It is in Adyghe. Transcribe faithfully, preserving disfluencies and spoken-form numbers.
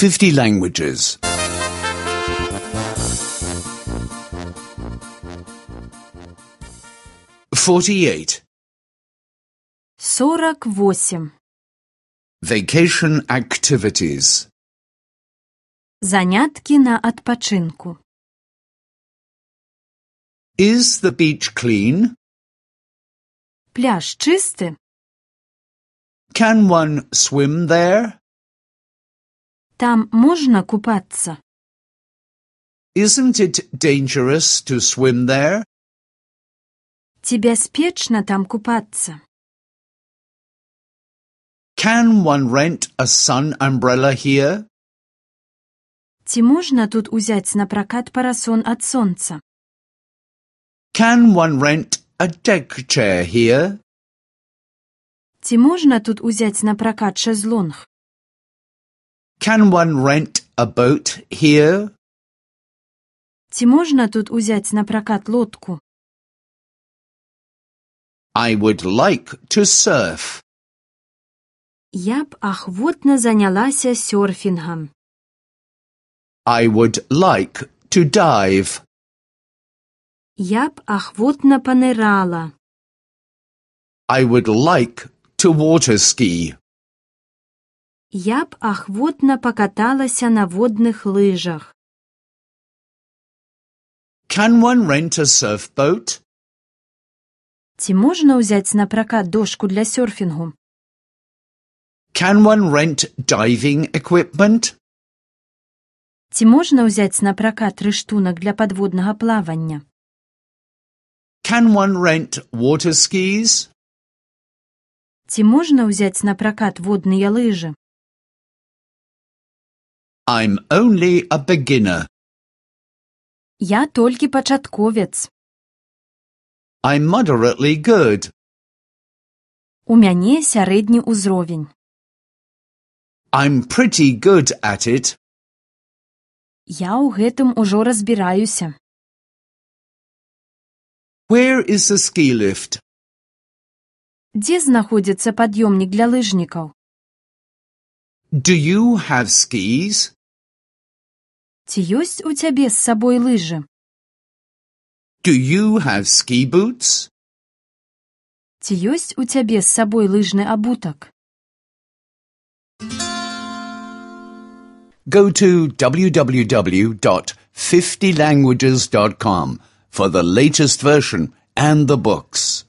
fifty languages. Forty-eight. Сорок восемь. Vacation activities. Заняткі на адпачынку. Is the beach clean? Пляж чысты? Can one swim there? Там можна купацца? Isn't it dangerous to swim there? Ці бяспечна там купацца? Can one rent a sun umbrella here? Ці можна тут узяць напракат парасон ад сонца? Can one rent a deck chair here? Ці можна тут узяць напракат шэзлонг? Can one rent a boat here? Ці можна тут узяць напракат лодку? I would like to surf. Я б ахвотна занялася сёрфінгам. I would like to dive. Я б ахвотна панырала. I would like to water ski. Я б ахвотна пакаталася на водных лыжах. Can one rent a surfboat? Ці можна ўзяць напракат дошку для сёрфінгу? Can one rent diving equipment? Ці можна ўзяць напракат рыштунак для падводнага плавання? Can one rent water skis? Ці можна ўзяць напракат водныя лыжы? I'm only a beginner. Я толькі пачатковец. I'm moderately good. У мяне сярэдні ўзровень. I'm pretty good at it. Я ў гэтым ужо разбіраюся. Where is the ski lift? Дзе знаходзіцца пад'ёмнік для лыжнікаў? Do you have skis? Ці ёсць у цябе з сабой лыжы? Do you have ski boots? Ці ёсць у цябе з сабой лыжны абутак? Go to w w w dot fifty languages dot com for the latest version and the books.